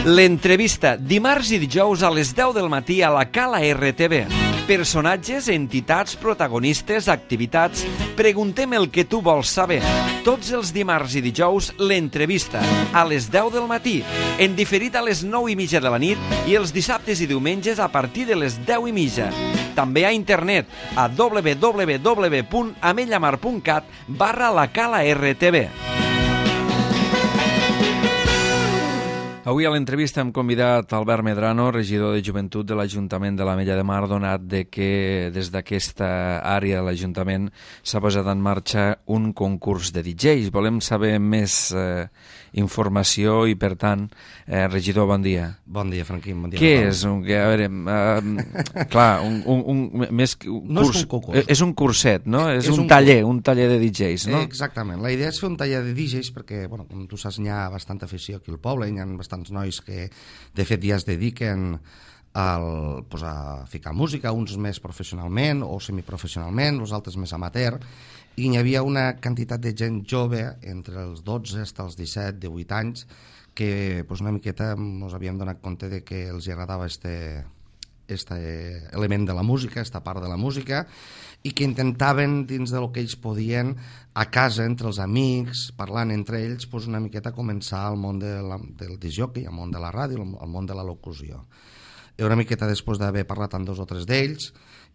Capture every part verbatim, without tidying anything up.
L'entrevista, dimarts i dijous a les deu del matí a la Cala R T V. Personatges, entitats, protagonistes, activitats... Preguntem el que tu vols saber. Tots els dimarts i dijous, l'entrevista, a les deu del matí, en diferit a les nou i mitja de la nit i els dissabtes i diumenges a partir de les deu i mitja. També a internet a w w w punt amellamar punt cat barra la Cala R T V. Avui a l'entrevista hem convidat Albert Medrano, regidor de Joventut de l'Ajuntament de l'Ametlla de Mar, donat de que des d'aquesta àrea de l'Ajuntament s'ha posat en marxa un concurs de D Js. Volem saber més eh, informació i, per tant, eh, regidor, bon dia. Bon dia, Franquín, bon dia. Què és? Un, a veure, uh, clar, un, un, un, més, un no curs, és un concurs. És un curset, no? És, és un, un taller, un taller de D Js, no? Exactament. La idea és fer un taller de D Js perquè, bueno, com tu saps, hi ha bastanta afició aquí al poble, hi ha bastants nois que, de fet, ja es dediquen al, pues, a ficar música, uns més professionalment o semiprofessionalment, els altres més amateur, i hi havia una quantitat de gent jove, entre els dotze fins als disset, divuit anys, que pues, una miqueta ens havíem donat compte de que els agradava este, este element de la música, esta part de la música, i que intentaven, dins del que ells podien, a casa, entre els amics, parlant entre ells, pues, una miqueta començar al món de la, del discjockey, al món de la ràdio, al món de la locució. I una miqueta després d'haver parlat amb dos o tres d'ells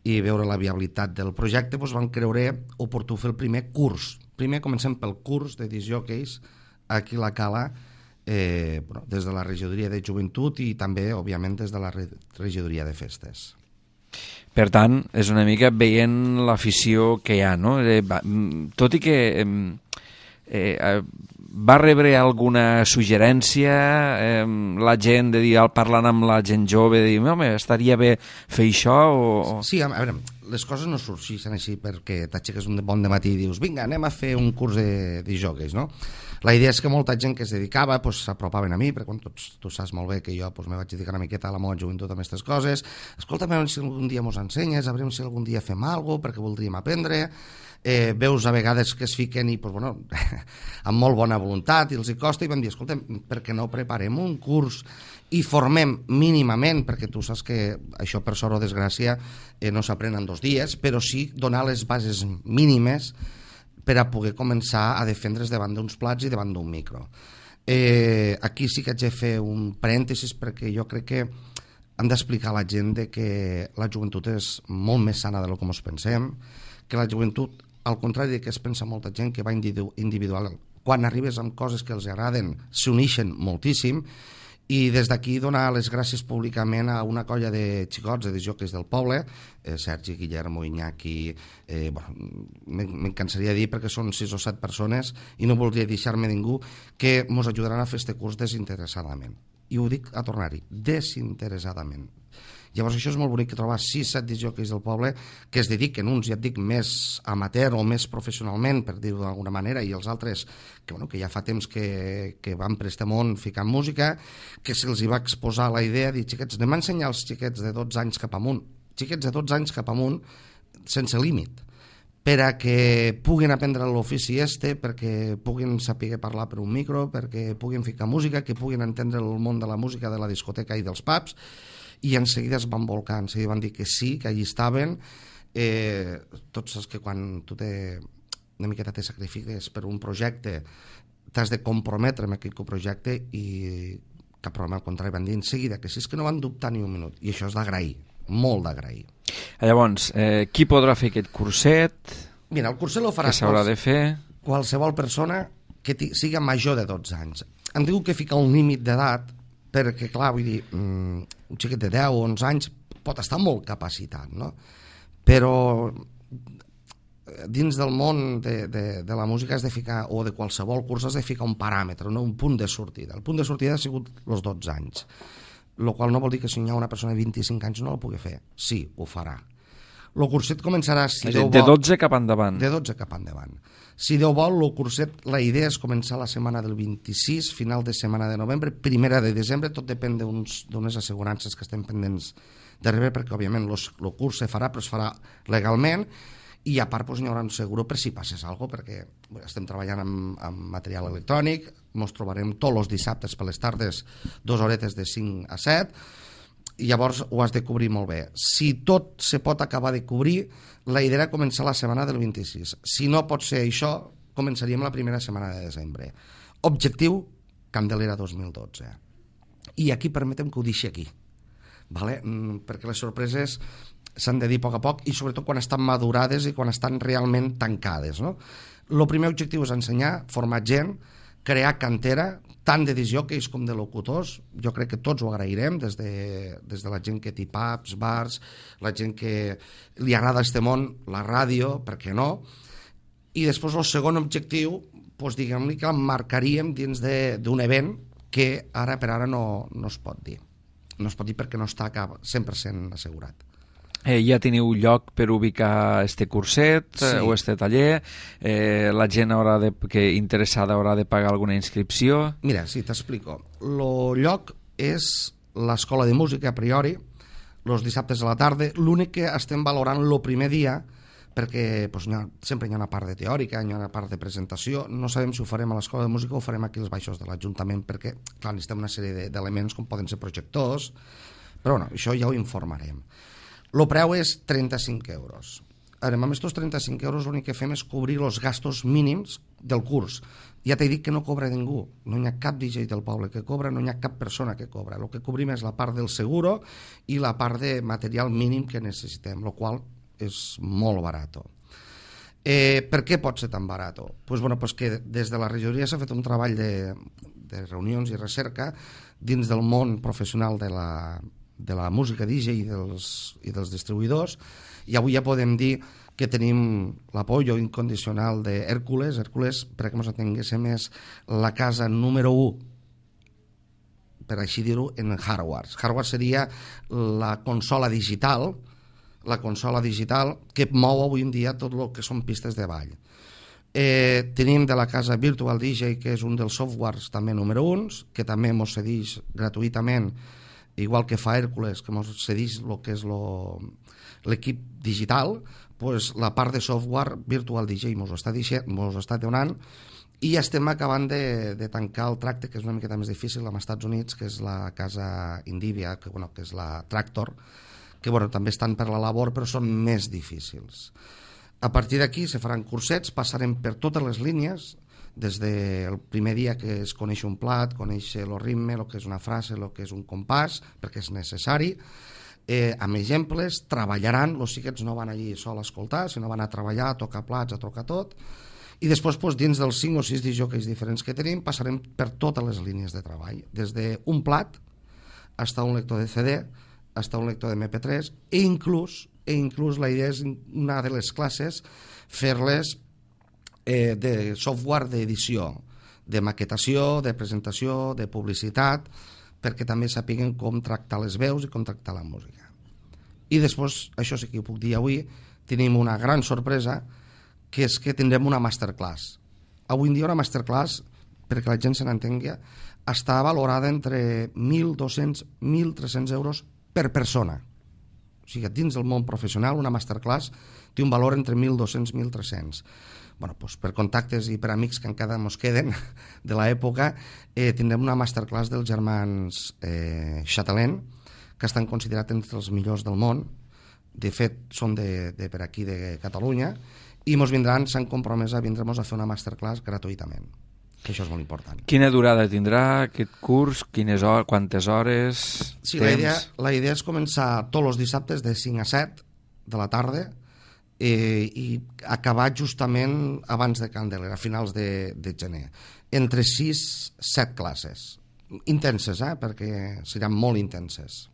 i veure la viabilitat del projecte, doncs van creure oportú fer el primer curs. Primer comencem pel curs de discjockeys aquí a la Cala, eh, bueno, des de la regidoria de Joventut i també, òbviament, des de la regidoria de Festes. Per tant, és una mica veient l'afició que hi ha, no? Eh, va, tot i que eh, eh, va rebre alguna suggerència eh, la gent de dir, parlant amb la gent jove, de dir, home, estaria bé fer això o... Sí, a veure, les coses no sorgeixen així perquè t'aixeques un bon dematí i dius, vinga, anem a fer un curs de discjockeys, no? La idea és que molta gent que es dedicava pues, s'apropaven a mi, perquè quan tots, tu saps molt bé que jo pues, me vaig dedicar una miqueta a la meva joventut amb aquestes coses. Escolta'm, si algun dia mos ensenyes, a veure si algun dia fem alguna cosa, perquè voldríem aprendre. Eh, veus a vegades que es fiquen i, pues, bueno, amb molt bona voluntat, i els hi costa, i vam dir, escolta'm, per què no preparem un curs i formem mínimament, perquè tu saps que això per sort o desgràcia eh, no s'aprèn en dos dies, però sí donar les bases mínimes per a poder començar a defendre's davant d'uns plats i davant d'un micro. Eh, aquí sí que haig de fer un parèntesis perquè jo crec que hem d'explicar a la gent de que la joventut és molt més sana del que ens pensem, que la joventut, al contrari de que es pensa molta gent que va individual, quan arribes amb coses que els agraden, s'uneixen moltíssim, i des d'aquí donar les gràcies públicament a una colla de xicots, de discjockeys del poble, eh, Sergi, Guillermo, Iñaki, eh, bueno, me'n cansaria de dir perquè són sis o set persones i no voldria deixar-me ningú, que ens ajudaran a fer este curs desinteressadament. I ho dic a tornar-hi, desinteressadament. Llavors això és molt bonic, que trobar sis set discjockeys del poble que es dediquen, uns ja et dic més amateur o més professionalment, per dir-ho d'alguna manera, i els altres que, bueno, que ja fa temps que, que van per este món ficant música, que se'ls hi va exposar la idea de dir, xiquets, anem a ensenyar als xiquets de dotze anys cap amunt, xiquets de dotze anys cap amunt, sense límit, per a que puguin aprendre l'ofici este, perquè puguin saber parlar per un micro, perquè puguin ficar música, que puguin entendre el món de la música, de la discoteca i dels pubs, i en seguida es van volcar, en seguida van dir que sí, que allí estaven. Eh, tots saps que quan tu te, una miqueta te sacrifiques per un projecte, t'has de comprometre amb aquell projecte, i cap problema, al contrari, van dir en seguida que sí, és que no van dubtar ni un minut, i això és d'agrair, molt d'agrair. Llavors, eh, qui podrà fer aquest curset? Mira, el curset lo farà què s'haurà de fer? Qualsevol persona que siga major de dotze anys. Hem dit que fica un límit d'edat perquè, clar, vull dir, um, un xiquet de deu o onze anys pot estar molt capacitat, no? Però dins del món de, de, de la música has de ficar, o de qualsevol curs, has de ficar un paràmetre, no? Un punt de sortida. El punt de sortida ha sigut els dotze anys, el qual no vol dir que si hi ha una persona de vint-i-cinc anys no la pugui fer. Sí, ho farà. El curset començarà, si Déu vol... De dotze cap endavant. De dotze cap endavant. Si Déu vol, el curset, la idea és començar la setmana del vint-i-sis, final de setmana de novembre, primera de desembre, tot depèn d'unes assegurances que estem pendents de rebre, perquè, òbviament, el curs se farà, però es farà legalment, i a part doncs, hi haurà un seguro per si passes alguna cosa, perquè estem treballant amb, amb material electrònic, ens trobarem tots els dissabtes per les tardes dues horetes de cinc a set, i llavors ho has de cobrir molt bé. Si tot se pot acabar de cobrir, la idea era començar la setmana del vint-i-sis. Si no pot ser això, començaríem la primera setmana de desembre. Objectiu, Candelera dos mil dotze. I aquí permetem que ho deixi aquí, vale? Perquè les sorpreses s'han de dir a poc a poc i sobretot quan estan madurades i quan estan realment tancades, no? El primer objectiu és ensenyar, formar gent, crear cantera, tant de discjòqueis com de locutors. Jo crec que tots ho agrairem, des de, des de la gent que té pubs, bars, la gent que li agrada este món, la ràdio, per què no? I després el segon objectiu, doncs diguem-li que el marcaríem dins d'un event que ara per ara no, no es pot dir. No es pot dir perquè no està cent per cent assegurat. Eh, ja teniu lloc per ubicar este curset sí. o este taller? Eh, la gent haurà de, que interessada haurà de pagar alguna inscripció? Mira, sí, t'explico. El lloc és l'Escola de Música, a priori, els dissabtes a la tarda. L'únic que estem valorant el primer dia, perquè doncs, ha, sempre hi ha una part de teòrica, hi ha una part de presentació. No sabem si ho farem a l'Escola de Música o ho farem aquí als baixos de l'Ajuntament, perquè clar, necessitem una sèrie d'elements com poden ser projectors, però bueno, això ja ho informarem. El preu és trenta-cinc euros. Ara, amb aquests trenta-cinc euros l'únic que fem és cobrir els gastos mínims del curs. Ja t'he dit que no cobra ningú, no hi ha cap D J del poble que cobra, no hi ha cap persona que cobra. El que cobrim és la part del seguro i la part de material mínim que necessitem, el qual és molt barat. Eh, per què pot ser tan barat? Pues, bueno, pues que des de la regidoria s'ha fet un treball de, de reunions i recerca dins del món professional de la de la música D J i dels, i dels distribuïdors, i avui ja podem dir que tenim l'apoyo incondicional d'Hèrcules. Hèrcules, perquè ens entenguéssim, és la casa número u, per així dir-ho, en hardware. Hardware seria la consola digital, la consola digital que mou avui en dia tot el que són pistes de ball. Eh, tenim de la casa Virtual D J, que és un dels softwares també número uns, que també ens cedeix gratuïtament, igual que fa Hèrcules, que ens cedeix el que és l'equip digital, pues la part de software Virtual D J ens ho està, està donant, i estem acabant de, de tancar el tracte, que és una miqueta més difícil, amb els Estats Units, que és la casa Indivia, que, bueno, que és la Tractor, que bueno, també estan per la labor, però són més difícils. A partir d'aquí se faran cursets, passarem per totes les línies, des del primer dia que es coneix un plat, conèixer el ritme, el que és una frase, el que és un compàs, perquè és necessari, eh, amb exemples, treballaran, els xiquets no van allí sol a escoltar, sinó van a treballar, a tocar plats, a tocar tot, i després doncs, dins dels cinc o sis discjòqueis diferents que tenim passarem per totes les línies de treball, des d'un plat fins a un lector de C D, fins a un lector de M P tres, i inclús, i inclús la idea és una de les classes fer-les Eh, de software d'edició, de maquetació, de presentació, de publicitat, perquè també sapiguen com tractar les veus i com tractar la música. I després, això sí que ho puc dir avui, tenim una gran sorpresa, que és que tindrem una masterclass. Avui en dia una masterclass, perquè la gent se n'entengui, està valorada entre mil dos-cents i mil tres-cents euros per persona. O sigui, dins del món professional, una masterclass té un valor entre mil dos-cents i mil tres-cents. Bueno, doncs per contactes i per amics que encara ens queden de l'època, eh, tindrem una masterclass dels germans eh, Chatelain, que estan considerats entre els millors del món. De fet, són de, de per aquí, de Catalunya, i ens vindran, s'han compromès a vindre-nos a fer una masterclass gratuïtament, que això és molt important. Quina durada tindrà aquest curs? Quines hores, quantes hores? Sí, la idea, la idea és començar tots els dissabtes de cinc a set de la tarda, Eh, i acabar justament abans de Candelera, a finals de, de gener. Entre sis i set classes. Intenses, eh? Perquè seran molt intenses.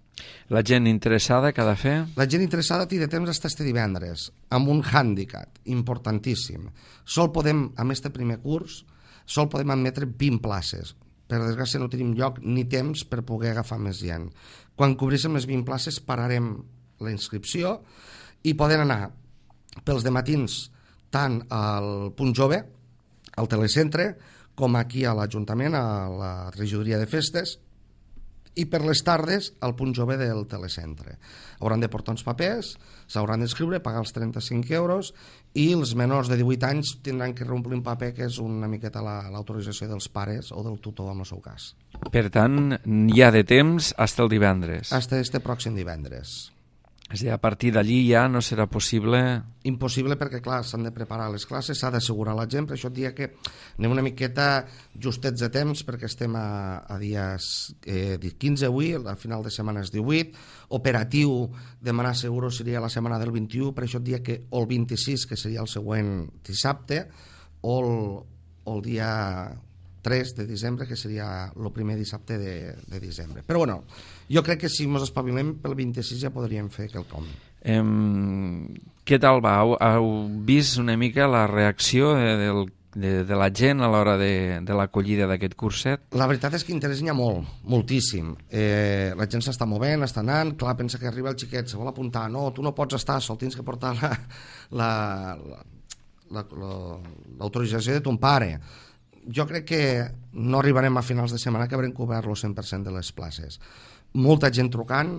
La gent interessada que ha de fer? La gent interessada té de temps fins este divendres, amb un hàndicap importantíssim. Sol podem, amb este primer curs, sol podem admetre vint places. Per desgràcia no tenim lloc ni temps per poder agafar més gent. Quan cobríssim les vint places pararem la inscripció i poden anar pels dematins tant al Punt Jove, al Telecentre, com aquí a l'Ajuntament, a la regidoria de festes, i per les tardes al punt jove del telecentre. Hauran de portar uns papers, s'hauran d'escriure, pagar els trenta-cinc euros i els menors de divuit anys tindran que reomplir un paper que és una miqueta l'autorització dels pares o del tutor en el seu cas. Per tant, hi ha de temps fins el divendres. Fins este pròxim divendres. És a dir, a partir d'allí ja no serà possible... Impossible perquè, clar, s'han de preparar les classes, s'ha d'assegurar la gent, per això et dia que anem una miqueta justets de temps, perquè estem a, a dies eh, quinze avui, a final de setmana és divuit, operatiu demanar seguro seria la setmana del vint-i-u, per això et dia que o el vint-i-sis, que seria el següent dissabte, o el, o el dia tres de desembre, que seria el primer dissabte de, de desembre. Però bueno, jo crec que si ens espavilem pel vint-i-sis ja podríem fer quelcom. Eh, què tal va? Heu, heu vist una mica la reacció de, del, de, de la gent a l'hora de, de l'acollida d'aquest curset? La veritat és que interès n'hi ha molt, moltíssim. Eh, la gent s'està movent, està anant, clar, pensa que arriba el xiquet, se vol apuntar, no, tu no pots estar, sol tens que portar la, la, la, la, l'autorització de ton pare. Jo crec que no arribarem a finals de setmana que haurem cobert el cent per cent de les places. Molta gent trucant,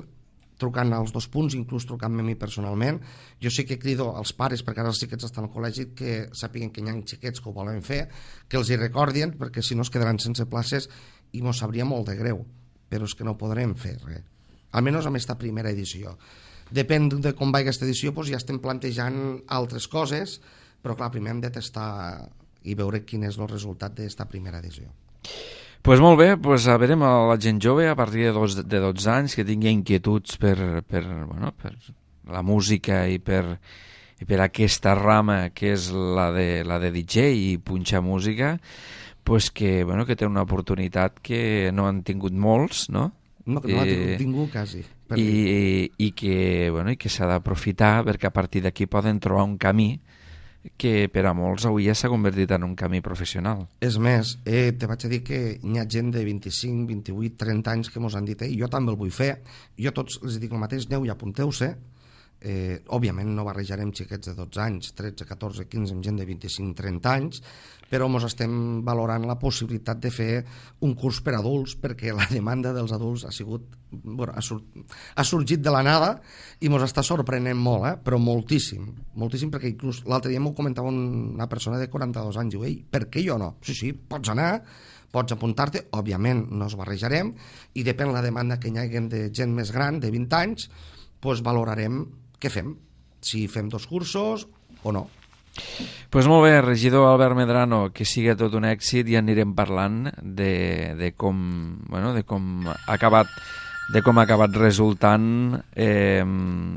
trucant als dos punts, inclús trucant-me a mi personalment. Jo sí que crido als pares, perquè ara els xiquets estan al col·legi, que sàpiguen que hi ha xiquets que ho volen fer, que els hi recordin, perquè si no es quedaran sense places i mos sabria molt de greu, però és que no podrem fer res. Almenys amb aquesta primera edició. Depèn de com va aquesta edició, doncs ja estem plantejant altres coses, però clar, primer hem de testar i veure quin és el resultat d'aquesta primera edició. Pues molt bé, pues a veure a la gent jove a partir de, dos, de dotze anys que tingui inquietuds per, per, bueno, per la música i per, i per aquesta rama que és la de, la de D J i punxar música, pues que, bueno, que té una oportunitat que no han tingut molts, no? No, que no ha tingut ningú, quasi. I, i, i que, bueno, i que s'ha d'aprofitar perquè a partir d'aquí poden trobar un camí que per a molts avui ja s'ha convertit en un camí professional. És més, eh, te vaig a dir que hi ha gent de vint-i-cinc, vint-i-vuit, trenta anys que mos han dit, eh, jo també el vull fer, jo tots els dic el mateix, aneu i apunteu-se. Eh, òbviament no barrejarem xiquets de dotze anys, tretze, catorze, quinze, amb gent de vint-i-cinc, trenta anys, però ens estem valorant la possibilitat de fer un curs per adults, perquè la demanda dels adults ha sigut, bueno, ha, sur ha sorgit de la nada i ens està sorprenent molt, eh? Però moltíssim, moltíssim, perquè inclús l'altre dia m'ho comentava una persona de quaranta-dos anys, diu, ei, per què jo no? Sí, sí, pots anar, pots apuntar-te, òbviament no es barrejarem, i depèn la demanda que hi hagi de gent més gran, de vint anys, doncs valorarem què fem, si fem dos cursos o no. Pues molt bé, regidor Albert Medrano, que sigui tot un èxit i anirem parlant de, de com, bueno, de com ha acabat de com ha acabat resultant eh,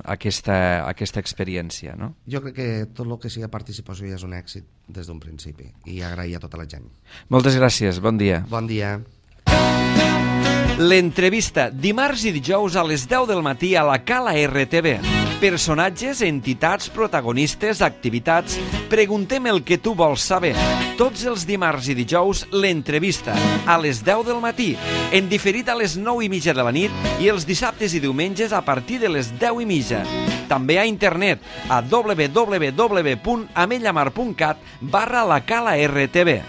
aquesta, aquesta experiència, no? Jo crec que tot el que sigui participació ja és un èxit des d'un principi i agrair a tota la gent. Moltes gràcies, bon dia. Bon dia. L'entrevista, dimarts i dijous a les deu del matí a la Cala R T V. Personatges, entitats, protagonistes, activitats... Preguntem el que tu vols saber. Tots els dimarts i dijous, l'entrevista, a les deu del matí, en diferit a les nou i mitja de la nit i els dissabtes i diumenges a partir de les deu i mitja. També a internet, a w w w punt amellamar punt cat barra la Cala R T V.